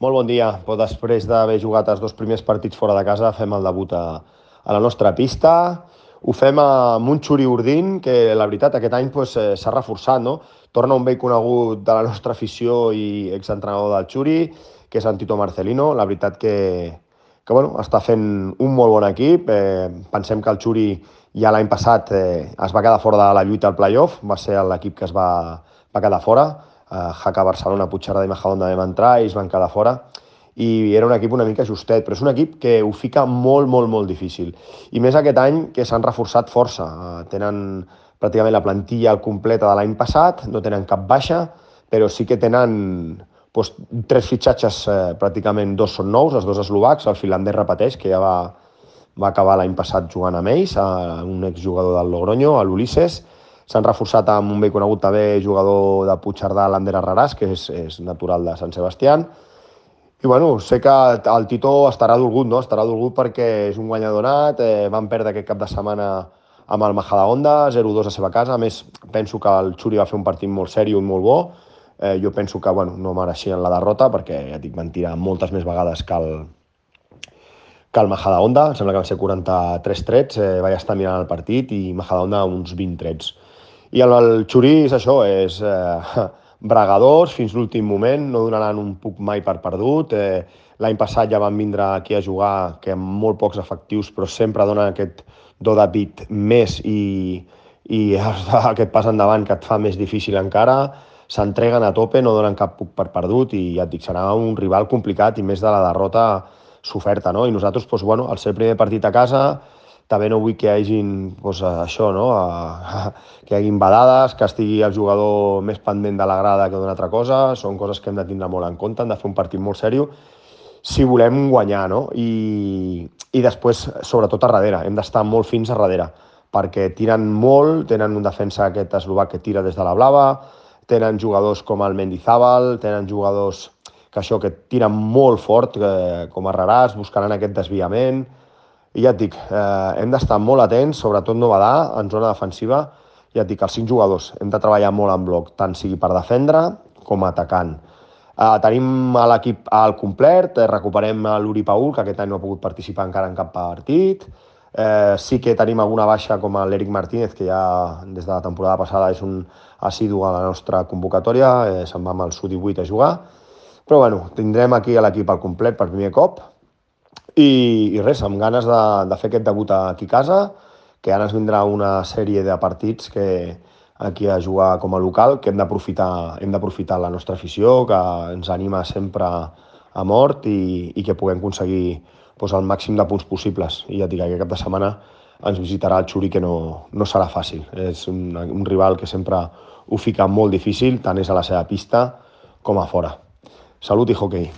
Molt bon dia. Després d'haver jugat els dos primers partits fora de casa, fem el debut a la nostra pista. Ho fem amb un Xuri Urdin, que la veritat aquest any s'ha reforçat, no? Torna un vell conegut de la nostra afició i exentrenador del Xuri, que és en Tito Marcelino. La veritat que bueno, està fent un molt bon equip. Pensem que el Xuri ja l'any passat es va quedar fora de la lluita al playoff, va ser l'equip que va quedar fora. Jaca Barcelona, Puigcerdà i Majadahonda vam entrar i ells van quedar fora i era un equip una mica justet, però és un equip que ho fica molt, molt, molt difícil. I més aquest any que s'han reforçat força. Tenen pràcticament la plantilla al completa de l'any passat, no tenen cap baixa, però sí que tenen doncs, tres fitxatges, pràcticament dos són nous, els dos eslovacs, el finlandès repeteix, que ja va acabar l'any passat jugant amb ells, un exjugador del Logroño, a l'Ulisses. S'han reforçat amb un vell conegut també jugador de Puigcerdà, l'Ander Arraràs, que és natural de Sant Sebastián. I bueno, sé que el Tito estarà dolgut, no? Estarà dolgut perquè és un guanyador nat, van perdre aquest cap de setmana amb el Majadahonda, 0-2 a la seva casa. A més, penso que el Xuri va fer un partit molt sèrio i molt bo. Jo penso que bueno, no mereixien la derrota perquè ja dic, van tirar moltes més vegades que el Majadahonda. Em sembla que van ser 43 trets, vaig estar mirant el partit i Majadahonda uns 20 trets. I el Xuri és això, és bregadors fins l'últim moment, no donaran un puc mai per perdut. L'any passat ja van vindre aquí a jugar, que amb molt pocs efectius, però sempre donen aquest do de pit més i aquest pas endavant que et fa més difícil encara. S'entreguen a tope, no donen cap puc per perdut i ja et dic, serà un rival complicat i més de la derrota s'oferta, no? I nosaltres, doncs, bueno, al ser el primer partit a casa, també no vull que hi hagin doncs, això, no? Que hi hagin badades, que estigui el jugador més pendent de la grada que d'una altra cosa. Són coses que hem de tindre molt en compte, hem de fer un partit molt seriós si volem guanyar, no? I després, sobretot a darrere, hem d'estar molt fins a darrere, perquè tiren molt, tenen un defensa aquest eslovac que tira des de la blava, tenen jugadors com el Mendizábal, tenen jugadors que tiren molt fort, com Arraràs, buscaran aquest desviament. I ja et dic, hem d'estar molt atents, sobretot no badar en zona defensiva. Ja et dic, els 5 jugadors hem de treballar molt en bloc, tant sigui per defendre com atacant. Tenim a l'equip al complet, recuperem l'Uri Paul, que aquest any no ha pogut participar encara en cap partit. Sí que tenim alguna baixa com l'Eric Martínez, que ja des de la temporada passada és un assidu a la nostra convocatòria, se'n va amb el Sud-18 a jugar. Però bueno, tindrem aquí l'equip al complet per primer cop i res, amb ganes de fer aquest debut aquí a casa, que ara ens vindrà una sèrie de partits que aquí a jugar com a local, que hem d'aprofitar la nostra afició, que ens anima sempre a mort i que puguem aconseguir doncs, el màxim de punts possibles. I ja et dic, aquest cap de setmana ens visitarà el Xuri, que no serà fàcil. És un rival que sempre ho fica molt difícil, tant és a la seva pista com a fora. Salut i hoquei.